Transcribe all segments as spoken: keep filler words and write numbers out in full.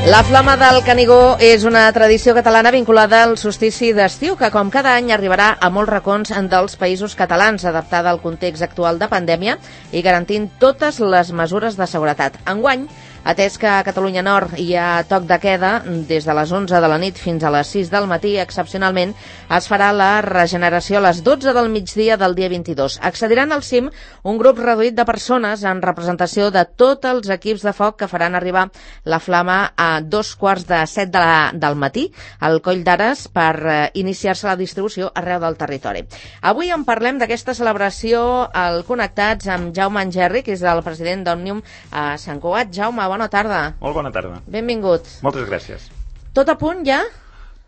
La Flama del Canigó és una tradició catalana vinculada al solstici d'estiu que, com cada any, arribarà a molts racons dels països catalans, adaptada al context actual de pandèmia i garantint totes les mesures de seguretat. Enguany, atès que a Catalunya Nord hi ha toc de queda des de les onze de la nit fins a les sis del matí, excepcionalment es farà la regeneració a les dotze del migdia del dia vint-i-dos. Accediran al cim un grup reduït de persones en representació de tots els equips de foc que faran arribar la flama a dos quarts de set de la, del matí al Coll d'Ares per eh, iniciar-se la distribució arreu del territori. Avui en parlem d'aquesta celebració al Connectats amb Jaume Angerri, que és el president d'Òmnium a Sant Cugat. Jaume, bona tarda. Molt bona tarda. Benvingut. Moltes gràcies. Tot a punt ja?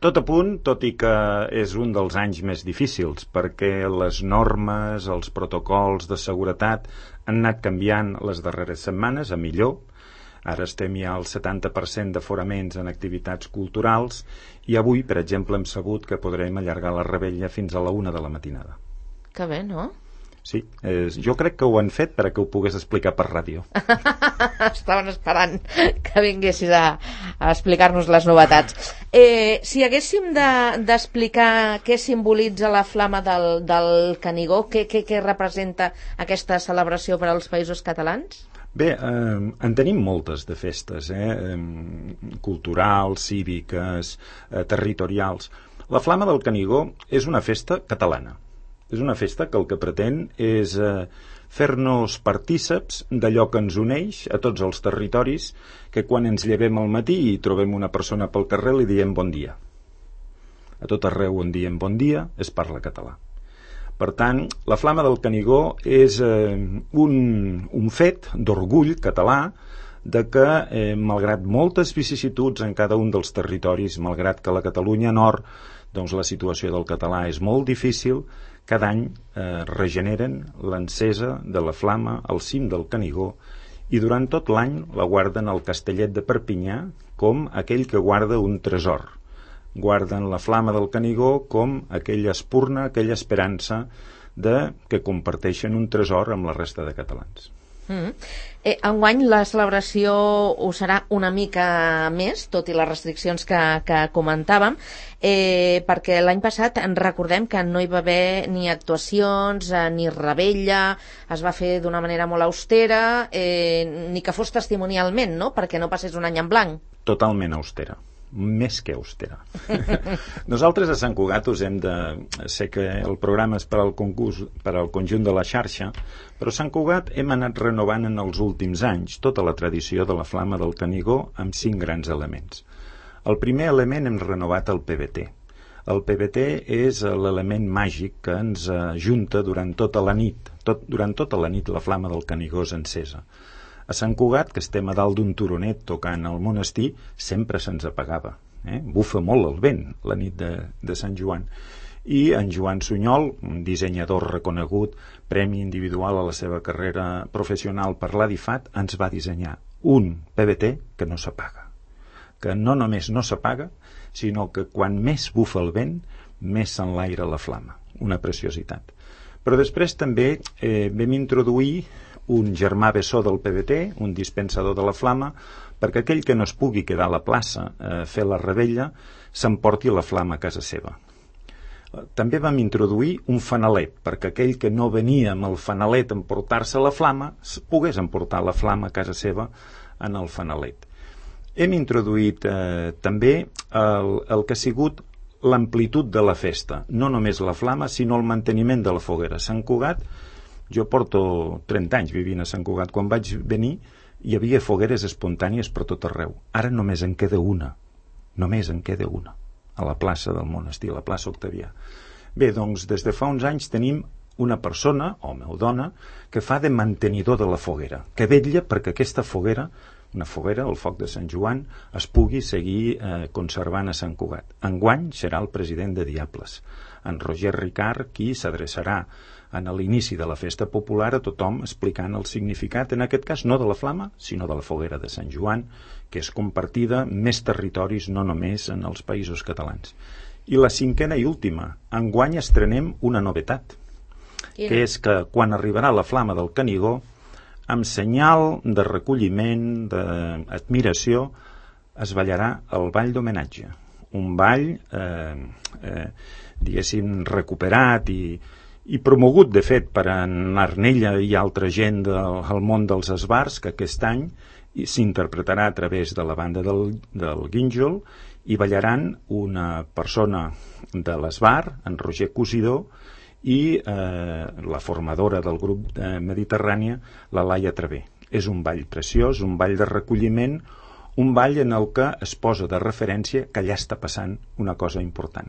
Tot a punt, tot i que és un dels anys més difícils, perquè les normes, els protocols de seguretat han anat canviant les darreres setmanes a millor. Ara estem ja al setanta per cent d'aforaments en activitats culturals i avui, per exemple, hem sabut que podrem allargar la revetlla fins a la una de la matinada. Que bé, no? Sí, eh, jo crec que ho han fet perquè ho pogués explicar per ràdio. Estaven esperant que vinguessis a, a explicar-nos les novetats. Eh, si haguéssim d'explicar de, què simbolitza la flama del, del Canigó, què, què, què representa aquesta celebració per als països catalans? Bé, eh, en tenim moltes de festes, eh, eh, culturals, cíviques, eh, territorials. La flama del Canigó és una festa catalana. És una festa que el que pretén és eh, fer-nos partíceps d'allò que ens uneix a tots els territoris, que quan ens llevem al matí i trobem una persona pel carrer li diem bon dia. A tot arreu on diem bon dia es parla català. Per tant, la flama del Canigó és eh, un, un fet d'orgull català de que, eh, malgrat moltes vicissituds en cada un dels territoris, malgrat que a la Catalunya Nord doncs, la situació del català és molt difícil, cada any eh, regeneren l'encesa de la flama al cim del Canigó i durant tot l'any la guarden al Castellet de Perpinyà com aquell que guarda un tresor. Guarden la flama del Canigó com aquella espurna, aquella esperança de que comparteixen un tresor amb la resta de catalans. Mm. Eh, enguany la celebració ho serà una mica més, tot i les restriccions que, que comentàvem, eh, perquè l'any passat en recordem que no hi va haver ni actuacions, eh, ni revetlla, es va fer d'una manera molt austera, eh, ni que fos testimonialment, no?, perquè no passés un any en blanc. Totalment austera. Més que austera. Nosaltres a Sant Cugat us hem de... Sé que el programa és per al concurs, per al conjunt de la xarxa, però a Sant Cugat hem anat renovant en els últims anys tota la tradició de la flama del Canigó amb cinc grans elements. El primer element hem renovat el P V T. El P V T és l'element màgic que ens ajunta durant tota la nit. Tot, durant tota la nit la flama del Canigó és encesa. A Sant Cugat, que estem a dalt d'un turonet tocant al monestir, sempre se'ns apagava. Eh? Bufa molt el vent la nit de, de Sant Joan. I en Joan Sunyol, un dissenyador reconegut, premi individual a la seva carrera professional per l'A D I FAT, ens va dissenyar un P V T que no s'apaga. Que no només no s'apaga, sinó que quan més bufa el vent, més s'enlaira la flama. Una preciositat. Però després també eh, vam introduir un germà bessó del P V T, un dispensador de la flama, perquè aquell que no es pugui quedar a la plaça a eh, fer la revetlla s'emporti la flama a casa seva. També vam introduir un fanalet, perquè aquell que no venia amb el fanalet a emportar-se la flama pogués emportar la flama a casa seva en el fanalet. Hem introduït eh, també el, el que ha sigut l'amplitud de la festa, no només la flama, sinó el manteniment de la foguera. Sant Cugat, jo porto trenta anys vivint a Sant Cugat. Quan vaig venir hi havia fogueres espontànies per tot arreu. Ara només en queda una. Només en queda una. A la plaça del monestir, a la plaça Octavià. Bé, doncs, des de fa uns anys tenim una persona, home o dona, que fa de mantenidor de la foguera, que vetlla perquè aquesta foguera, una foguera, el foc de Sant Joan, es pugui seguir eh, conservant a Sant Cugat. Enguany serà el president de Diables, en Roger Ricard, qui s'adreçarà en l'inici de la festa popular a tothom explicant el significat, en aquest cas no de la flama, sinó de la foguera de Sant Joan, que és compartida en més territoris, no només en els països catalans. I la cinquena i última, enguany estrenem una novetat, yeah. que és que quan arribarà la flama del Canigó, amb senyal de recolliment, d'admiració, es ballarà el ball d'homenatge. Un ball, eh, eh, diguéssim, recuperat i, i promogut, de fet, per en Arnella i altra gent del, del món dels esbars, que aquest any s'interpretarà a través de la banda del, del Guínjol, i ballaran una persona de l'esbar, en Roger Cosidó, i eh, la formadora del grup de Mediterrània, la Laia Travé. És un ball preciós, un ball de recolliment, un ball en el que es posa de referència que allà està passant una cosa important,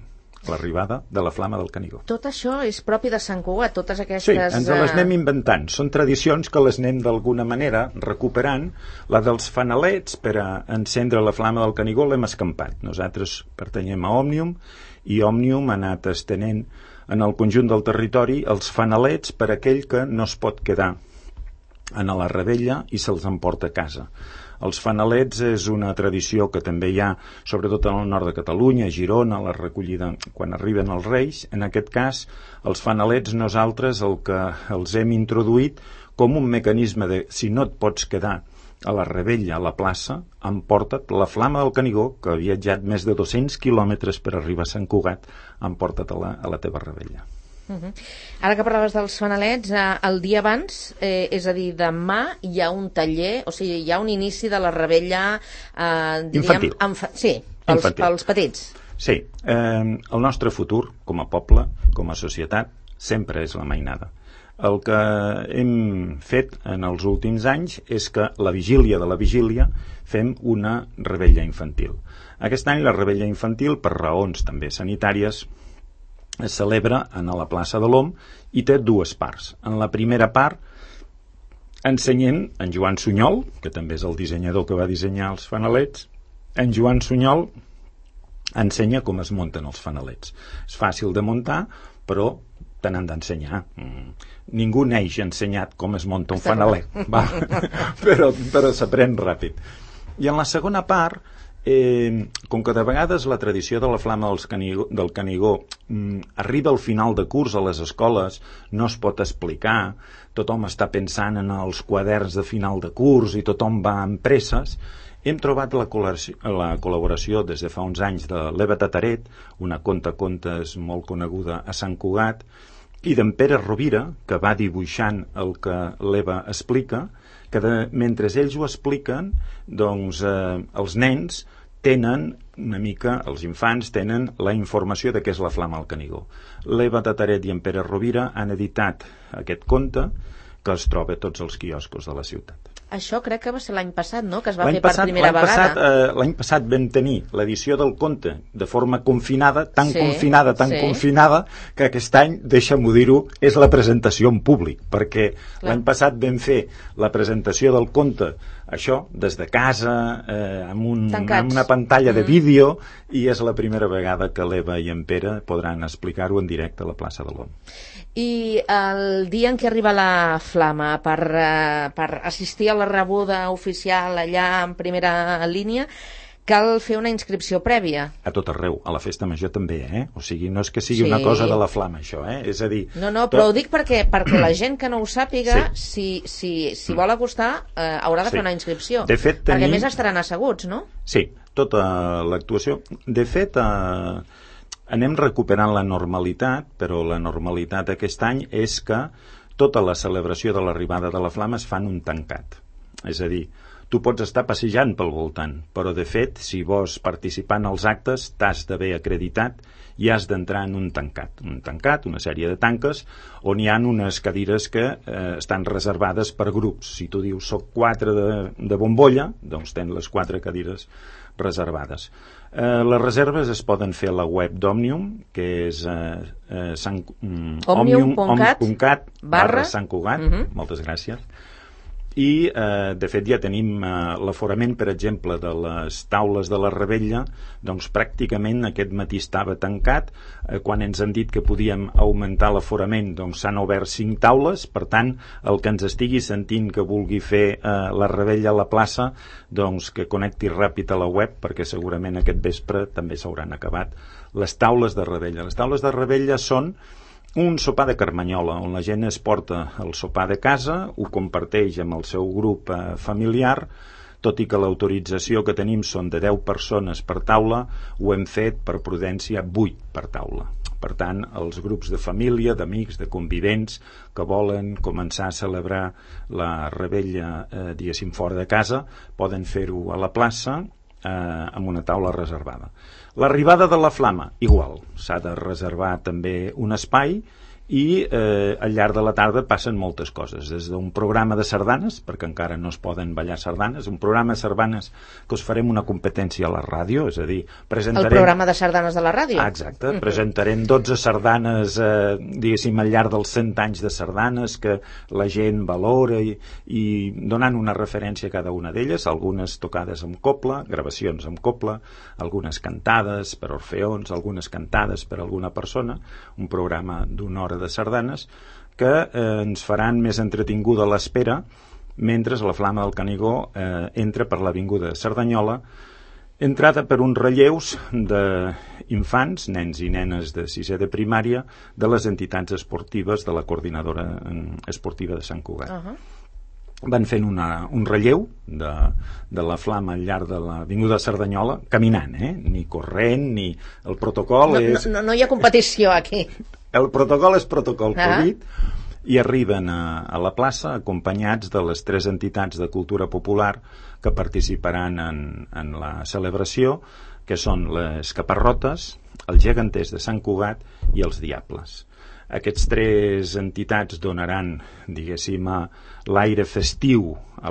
l'arribada de la Flama del Canigó. Tot això és propi de Sant Cugat, totes aquestes... Sí, ens les anem inventant. Són tradicions que les anem d'alguna manera recuperant. La dels fanalets, per a encendre la Flama del Canigó, l'hem escampat. Nosaltres pertanyem a Òmnium, i Òmnium ha anat estenent en el conjunt del territori els fanalets per a aquell que no es pot quedar en la Rebella i se'ls emporta a casa. Els fanalets és una tradició que també hi ha, sobretot en el nord de Catalunya, a Girona, la recollida quan arriben els Reis. En aquest cas, els fanalets nosaltres el que els hem introduït com un mecanisme de, si no et pots quedar a la Rebella, a la plaça, emporta't la Flama del Canigó, que ha viatjat més de dos-cents quilòmetres per arribar a Sant Cugat, emporta't a la, a la teva Rebella. Uh-huh. Ara que parlaves dels fanalets, eh, el dia abans, eh, és a dir, demà hi ha un taller, o sigui, hi ha un inici de la Rebella eh, diríem, infantil. Fa... Sí, pels, infantil. pels petits. Sí, eh, el nostre futur com a poble, com a societat, sempre és la mainada. El que hem fet en els últims anys és que la vigília de la vigília fem una Rebella infantil. Aquest any la Rebella infantil, per raons també sanitàries, es celebra a la plaça de l'Om i té dues parts. En la primera part ensenyem en Joan Sunyol, que també és el dissenyador que va dissenyar els fanalets. En Joan Sunyol ensenya com es munten els fanalets. És fàcil de muntar, però te n'han d'ensenyar. Mm. Ningú neix ensenyat com es munta un fanalet, va. però, però s'aprèn ràpid. I en la segona part, Eh, com que de vegades la tradició de la Flama dels Canigó, del Canigó mm, arriba al final de curs a les escoles, no es pot explicar, tothom està pensant en els quaderns de final de curs i tothom va amb presses, hem trobat la col·laboració, la col·laboració des de fa uns anys de l'Eva Tataret, una contacontes molt coneguda a Sant Cugat, i d'en Pere Rovira, que va dibuixant el que l'Eva explica, que de, mentre ells ho expliquen, doncs eh, els nens tenen una mica, els infants tenen la informació de què és la Flama del Canigó. L'Eva Tataret i en Pere Rovira han editat aquest conte que es troba a tots els quioscos de la ciutat. Això crec que va ser l'any passat, no?, que es va l'any fer per passat, primera l'any vegada. Passat, eh, l'any passat vam tenir l'edició del conte de forma confinada, tan sí, confinada, tan sí. confinada, que aquest any, deixa'm-ho dir-ho, és la presentació en públic, perquè Clar. l'any passat vam fer la presentació del conte, això, des de casa, eh, amb, un, amb una pantalla mm. de vídeo, i és la primera vegada que l'Eva i en Pere podran explicar-ho en directe a la plaça de l'Om. I el dia en què arriba la Flama per, uh, per assistir a la rebuda oficial allà en primera línia, cal fer una inscripció prèvia. A tot arreu, a la festa major també, eh? O sigui, no és que sigui sí. una cosa de la Flama, això, eh? És a dir... No, no, però tot... ho dic perquè, perquè la gent que no ho sàpiga, sí. si, si, si vol acostar, eh, haurà de sí. fer una inscripció. De fet, tenim... Perquè més estaran asseguts, no? Sí, tota l'actuació. De fet, eh, anem recuperant la normalitat, però la normalitat aquest any és que tota la celebració de l'arribada de la Flama es fa en un tancat. És a dir, tu pots estar passejant pel voltant, però de fet, si vols participar en els actes, t'has d'haver acreditat i has d'entrar en un tancat. Un tancat, una sèrie de tanques, on hi ha unes cadires que eh, estan reservades per grups. Si tu dius, soc quatre de, de bombolla, doncs tens les quatre cadires reservades. Eh, les reserves es poden fer a la web d'Òmnium, que és eh, eh, san, mm, òmnium punt cat barra Sant Cugat, uh-huh. moltes gràcies. I, eh, de fet, ja tenim eh, l'aforament, per exemple, de les taules de la Rebella, doncs pràcticament aquest matí estava tancat. Eh, quan ens han dit que podíem augmentar l'aforament, doncs s'han obert cinc taules. Per tant, el que ens estigui sentint que vulgui fer eh, la Rebella a la plaça, doncs que connecti ràpid a la web, perquè segurament aquest vespre també s'hauran acabat les taules de Rebella. Les taules de Rebella són un sopar de carmanyola, on la gent es porta el sopar de casa, ho comparteix amb el seu grup eh, familiar, tot i que l'autorització que tenim són de deu persones per taula, ho hem fet per prudència vuit per taula. Per tant, els grups de família, d'amics, de convivents que volen començar a celebrar la revetlla, eh, diguéssim, fora de casa, poden fer-ho a la plaça eh, amb una taula reservada. L'arribada de la flama, igual, s'ha de reservar també un espai i eh, al llarg de la tarda passen moltes coses, des d'un programa de sardanes, perquè encara no es poden ballar sardanes, un programa de sardanes que us farem una competència a la ràdio, és a dir, presentarem... El programa de sardanes de la ràdio? Ah, exacte, presentarem dotze sardanes, eh, diguéssim, al llarg dels cent anys de sardanes que la gent valora i, i donant una referència a cada una d'elles, algunes tocades amb copla, gravacions amb copla, algunes cantades per orfeons, algunes cantades per alguna persona, un programa d'una hora de sardanes que eh, ens faran més entretinguda l'espera mentre la Flama del Canigó eh, entra per l'avinguda de Cerdanyola, entrada per uns relleus d'infants, nens i nenes de sisè de primària, de les entitats esportives de la coordinadora esportiva de Sant Cugat. Uh-huh. Van fent una, un relleu de, de la flama al llarg de l'avinguda de Cerdanyola, caminant, eh? Ni corrent, ni... El protocol no, és... No, no, no hi ha competició aquí. El protocol és protocol uh-huh. Covid i arriben a, a la plaça acompanyats de les tres entitats de cultura popular que participaran en, en la celebració, que són les Caparrotes, els Geganters de Sant Cugat i els Diables. Aquests tres entitats donaran, diguéssim, l'aire festiu a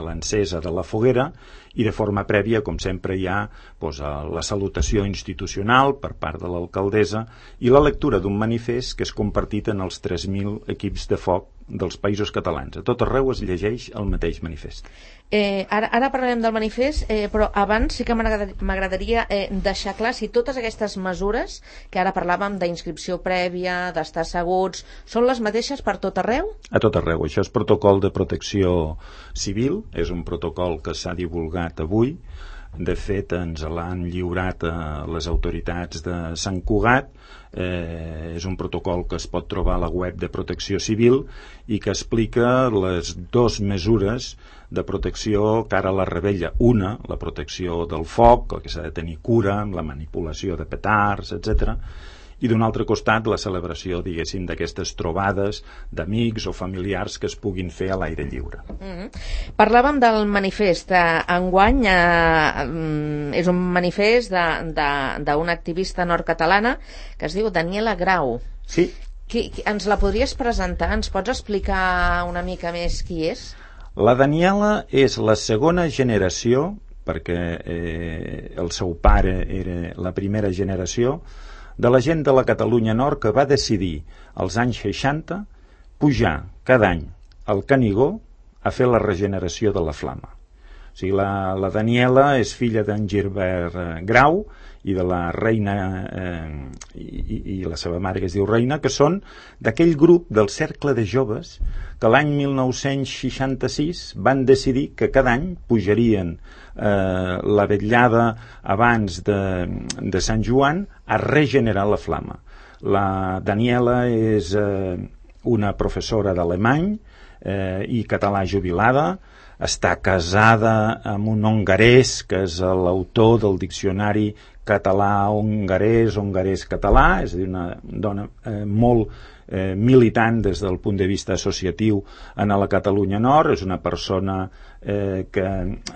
l'encesa de la foguera i de forma prèvia, com sempre, hi ha doncs, la salutació institucional per part de l'alcaldessa i la lectura d'un manifest que és compartit en els tres mil equips de foc dels països catalans. A tot arreu es llegeix el mateix manifest. Eh, ara, ara parlarem del manifest, eh, però abans sí que m'agradaria eh, deixar clar si totes aquestes mesures que ara parlàvem d'inscripció prèvia, d'estar asseguts, són les mateixes per tot arreu? A tot arreu. Això és protocol de protecció civil, és un protocol que s'ha divulgat avui. De fet, ens l'han lliurat a les autoritats de Sant Cugat. Eh, és un protocol que es pot trobar a la web de Protecció Civil i que explica les dues mesures de protecció cara a la revetlla. Una, la protecció del foc, que s'ha de tenir cura amb la manipulació de petards, etcètera. I d'un altre costat la celebració, diguéssim, d'aquestes trobades d'amics o familiars que es puguin fer a l'aire lliure. Mm-hmm. Parlàvem del manifest. Enguany eh, és un manifest d'una activista nord-catalana que es diu Daniela Grau. Sí. Qui, qui, ens la podries presentar? Ens pots explicar una mica més qui és? La Daniela és la segona generació, perquè eh, el seu pare era la primera generació, de la gent de la Catalunya Nord que va decidir als anys seixanta pujar cada any al Canigó a fer la regeneració de la flama. O sigui, la, la Daniela és filla d'en Gilbert eh, Grau i de la reina eh, i, i la seva mare que es diu Reina, que són d'aquell grup del Cercle de Joves que l'any mil nou-cents seixanta-sis van decidir que cada any pujarien eh, la vetllada abans de, de Sant Joan a regenerar la flama. La Daniela és eh, una professora d'alemany eh, i català jubilada, està casada amb un hongarès que és l'autor del diccionari català-hongarès, hongarès-català, és a dir, una dona eh, molt eh, militant des del punt de vista associatiu en la Catalunya Nord. És una persona eh, que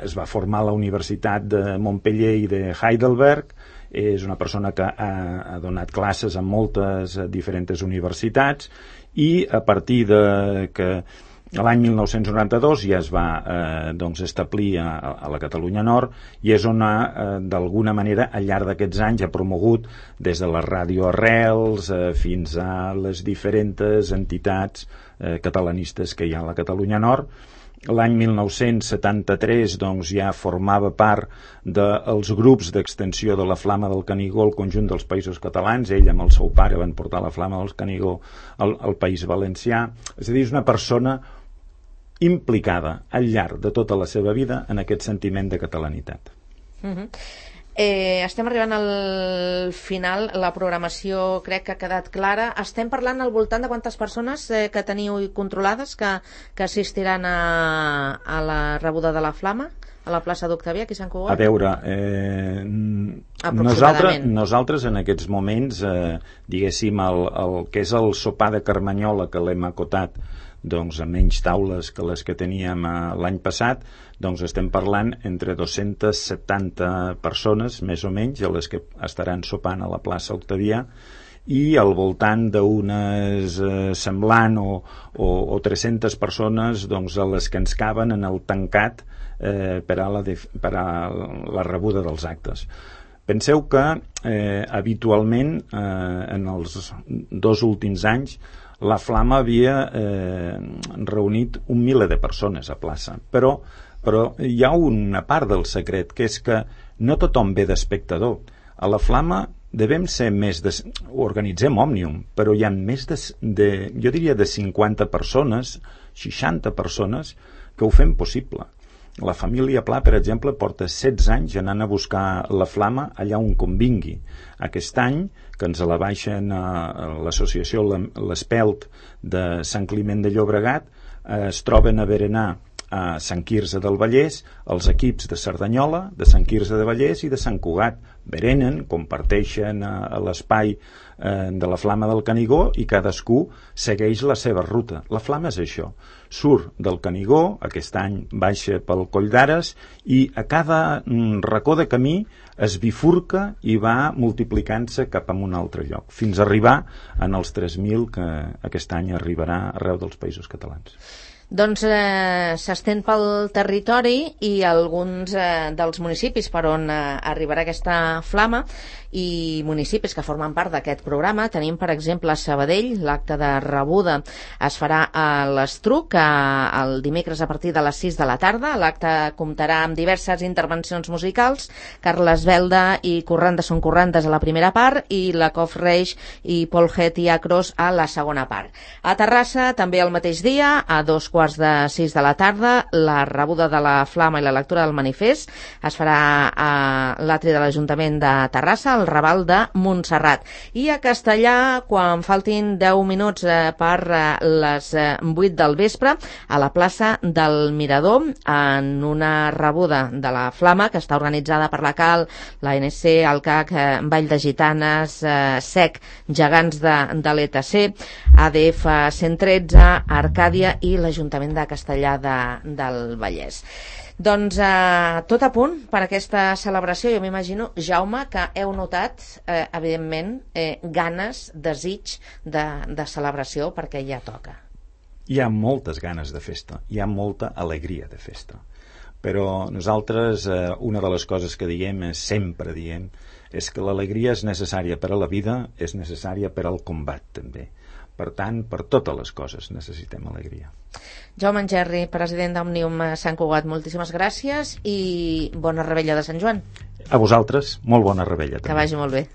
es va formar a la Universitat de Montpeller i de Heidelberg, és una persona que ha, ha donat classes en moltes eh, diferents universitats i a partir de que l'any mil nou-cents noranta-dos ja es va eh, doncs establir a, a la Catalunya Nord i és on ha, eh, d'alguna manera al llarg d'aquests anys ha promogut des de la ràdio Arrels eh, fins a les diferents entitats eh, catalanistes que hi ha a la Catalunya Nord. L'any mil nou-cents setanta-tres doncs, ja formava part dels grups d'extensió de la Flama del Canigó al conjunt dels països catalans. Ell amb el seu pare van portar la Flama del Canigó al, al País Valencià. És a dir, és una persona implicada al llarg de tota la seva vida en aquest sentiment de catalanitat. Uh-huh. Eh, estem arribant al final, la programació crec que ha quedat clara. Estem parlant al voltant de quantes persones eh, que teniu controlades que, que assistiran a, a la rebuda de la flama? a la plaça d'Octavià, aquí a Sant Cugat? A veure, eh, nosaltres, nosaltres en aquests moments, eh, diguéssim, el, el que és el sopar de Carmanyola, que l'hem acotat doncs, a menys taules que les que teníem eh, l'any passat, doncs estem parlant entre dos-centes setanta persones, més o menys, a les que estaran sopant a la plaça Octavià, i al voltant d'unes eh, semblant o, o, o tres-centes persones doncs, a les que ens caben en el tancat eh, per, a la de, per a la rebuda dels actes. Penseu que eh, habitualment eh, en els dos últims anys la Flama havia eh, reunit un miler de persones a plaça, però, però hi ha una part del secret, que és que no tothom ve d'espectador. A la Flama devem ser més de... Organitzem Òmnium, però hi ha més de, de, jo diria, de cinquanta persones, seixanta persones, que ho fem possible. La família Pla, per exemple, porta setze anys anant a buscar la Flama allà on convingui. Aquest any, que ens la baixen a l'associació l'Espelt de Sant Climent de Llobregat, eh, es troben a berenar a Sant Quirze del Vallès els equips de Cerdanyola, de Sant Quirze de Vallès i de Sant Cugat. Berenen, comparteixen a, a l'espai eh, de la Flama del Canigó i cadascú segueix la seva ruta. La Flama és això, surt del Canigó, aquest any baixa pel Coll d'Ares i a cada mm, racó de camí es bifurca i va multiplicant-se cap a un altre lloc, fins a arribar en els tres mil que aquest any arribarà arreu dels països catalans. Doncs eh, s'estén pel territori i alguns eh, dels municipis per on eh, arribarà aquesta flama i municipis que formen part d'aquest programa. Tenim, per exemple, a Sabadell, l'acte de rebuda es farà a l'Estruc el dimecres a partir de les sis de la tarda. L'acte comptarà amb diverses intervencions musicals, Carles Belda i Corrandes són Corrandes a la primera part i la Cof Reix i Paul Het i Acros a la segona part. A Terrassa, també el mateix dia, a dos quarts de sis de la tarda, la rebuda de la flama i la lectura del manifest es farà a l'atri de l'Ajuntament de Terrassa, al Raval de Montserrat. I a Castellà, quan faltin deu minuts eh, per eh, les eh, vuit del vespre, a la plaça del Mirador, en una rebuda de la flama que està organitzada per la Cal, la N C, el C A C, eh, Vall de Gitanes, eh, S E C, Gegants de, de l'E T C, A D F cent tretze, Arcàdia i l'Ajuntament de Castellà de, del Vallès. Doncs eh, tot a punt per aquesta celebració. Jo m'imagino, Jaume, que heu notat, eh, evidentment, eh, ganes, desig de, de celebració, perquè ja toca. Hi ha moltes ganes de festa, hi ha molta alegria de festa. Però nosaltres, eh, una de les coses que diem, és, sempre diem, és que l'alegria és necessària per a la vida, és necessària per al combat, també. Per tant, per totes les coses necessitem alegria. Jaume Engerri, president d'Òmnium Sant Cugat, moltíssimes gràcies i bona rebella de Sant Joan. A vosaltres, molt bona rebella. Que vagi molt bé.